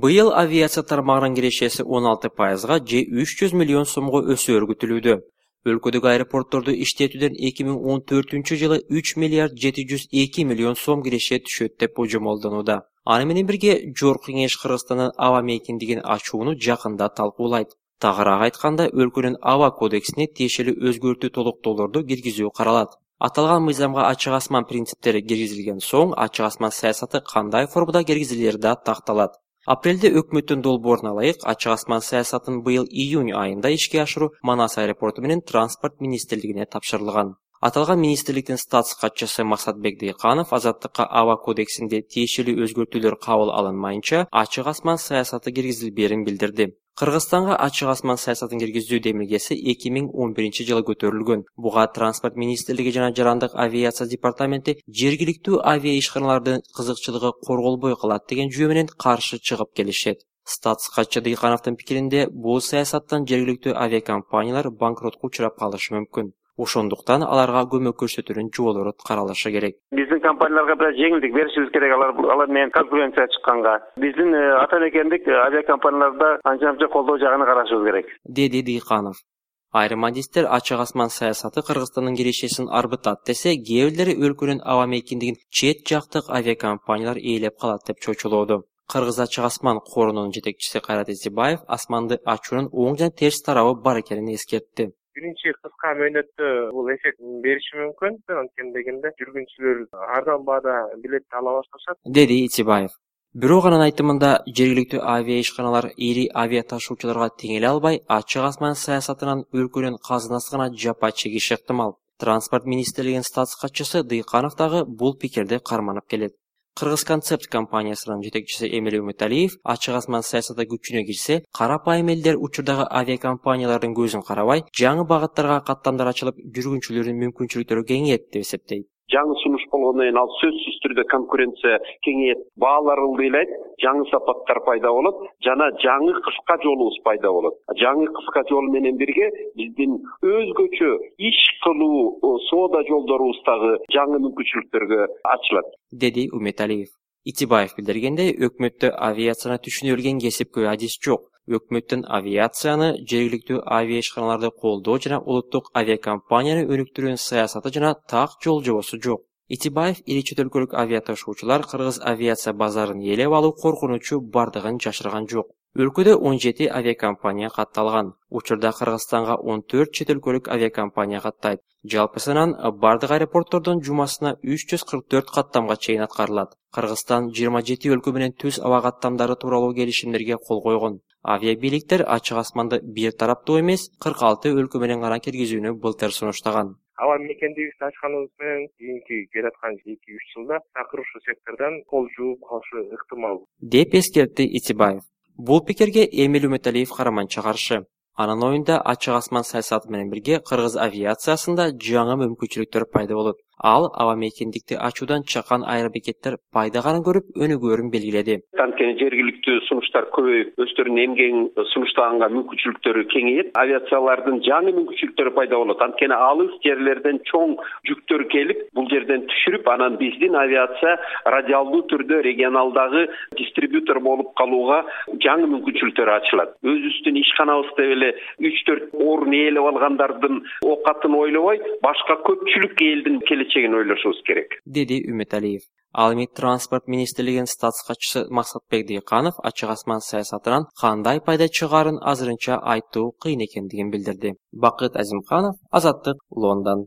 Быйыл авиация тармагынын кирешеси 16%га же 300 миллион сомго өсөөрү күтүлүүдө. Өлкөдөгү аэропортторду иштетүүдөн 2014-жылы 3 миллиард 702 миллион сом киреше түшөт деп божомолдонууда. Аны менен бирге Жогорку Кеңеш Кыргызстандын аба мейкиндигин ачууну жакында талкуулайт. Тагыраак айтканда, өлкөнүн аба кодексине тиешелүү өзгөртүү толуктоолорду киргизүү каралат. Аталган мыйзамга ачык асман принциптери киргизилген соң, ачык асман саясаты кандай формада киргизилери да такталат. Апрелде өкмөттүн долбооруна ылайык ачык асман саясатын быйыл июнь айында ишке ашыруу Манас аэропорту менен транспорт министрлигине тапшырылган. Аталган министрликтин статс катчысы Максатбек Дыйканов Азаттыкка аба кодексинде тиешелүү өзгөртүүлөр кабыл алынмайынча ачык асман саясаты киргизилбээрин билдирди. Кыргызстанга ачык асман саясатын киргизүү демилгеси 2011-жылы көтөрүлгөн. Буга транспорт министрлиги жана жарандык авиация департаменти жергиликтүү авиа ишканалардын кызыкчылыгы корголбой калат деген жүйө менен каршы чыгып келишет. Статс катчы Дыйкановдун пикиринде, бул саясаттан жергиликтүү авиакомпаниялар банкротко учурап калышы мүмкүн. Ошондуктан аларга көмөк көрсөтүүнүн жолдору каралышы керек. Биздин компанияларга да жеңилдик беришибиз керек, алар менен конкуренция чыкканга. Биздин ата мекендик авиакомпанияларда анча колдоо жагын карашыбыз керек, деди Дыйканов. Айрым адистер ачык асман саясаты Кыргызстандын кирешесин арбытат десе, кээ бирлери өлкөнүн аба мейкиндигин чет жактык авиакомпаниялар ээлеп калат деп чочулоодо. Кыргыз ачык асман корунун жетекчиси Кайрат Исибаев асманды ачуунун оң жана терс тарабы бар экенин эскертти. Биринчи кыска мөөнөттө бул эффект бериши мүмкүн. Анткени дегенде жүргүнчүлөр арзан баада билет ала башташат, деди Исибаев. Бирок анын айтымында, жергиликтүү авиа ишканалар ири авиа ташуучуларга теңеле албай, ачык асман саясатынан өлкөнүн казынасына жапа чегиши ыктымал. Транспорт министрлигинин статс катчысы Дыйканов дагы бул пикирди карманып келет. Кыргыз концепт компаниясынын жетекчиси Эмиль Үмүталиев ачык асман саясаты күчүнө кирсе, карапайым элдер учурдагы авиакомпаниялардын көзүн карабай, жаңы багыттарга каттамдар ачылып, жүргүнчүлөрдүн мүмкүнчүлүктөрү кеңейет деп эсептейт. Жаңы сунуш болгондон кийин ал сөзсүз түрдө конкуренция кеңейет, баалар ылдыйлайт, жаңы сапаттар пайда болот жана жаңы кыска жолубуз пайда болот. Жаңы кыска жол менен бирге биздин өзгөчө иш кылуу соода жолдорубуз дагы жаңы мүмкүнчүлүктөргө ачылат, деди Үмүталиев. Итибаев билдиргендей, өкмөттө авиацияны түшүнө билген кесипкөй адис жок. Өкмөттүн авиацияны, жергиликтүү авиа ишканаларды колдоо жана улуттук авиакомпанияны өнүктүрүүнүн саясаты жана так жол жобосу жок. Итибаев ири чет өлкөлүк авиа ташуучулар кыргыз авиация базарын ээлеп алуу коркунучу бардыгын жашырган жок. Өлкөдө 17 авиакомпания катталган. Учурда Кыргызстанга 14 чет өлкөлүк авиакомпания каттайт. Жалпы санан бардык аэропорттордон жумасына 344 каттамга чейин аткарылат. Кыргызстан 27 өлкө менен түз аба каттамдары тууралуу келишимдерге кол койгон. Авиабийликтер ачык асманды бир тараптуу эмес, 46 өлкө менен гана киргизүүнү былтыр сунуштаган. Аба мекендигибизди ачканыбыз менен кийинки келаткан 2-3 жылда такыр ушул сектордон кол жууп калышы ыктымал, деп эскертти Итибаев. Бул пикирге Эмиль Үмүталиев караманча каршы. Анын оюнда ачык асман саясаты менен бирге кыргыз авиациясында жаңы мүмкүнчүлүктөр пайда болот. Ал аба мейкиндикти ачуудан чакан аэробекеттер пайдаганы көрүп өнүгөөрүн белгиледи. Анткени жергиликтүү сунуштар көбөйүп, өздөрүнүн эмгегин сунуштаганга мүмкүнчүлүктөрү кеңейет, авиациялардын жаңы мүмкүнчүлүктөрү пайда болот. Анткени алыс жерлерден чоң жүктөр келип, бул жерден түшүрүп, анан биздин авиация радиалдуу түрдө регионалдагы дистрибьютор болуп калууга жаңы мүмкүнчүлүктөр ачылат. Өзүбүздүн ишканабызда эле 3-4 орун ээлеп алгандардын окатын ойлобой, башка көпчүлүк элдин келечегин ойлошубуз керек, деди Үмүталиев. Ал эми транспорт министрлигинин статс катчысы Максатбек Дыйканов ачык асман саясатынан кандай пайда чыгаарын азырынча айтуу кыйын экендигин билдирди. Бакыт Азимканов, Азаттык, Лондон.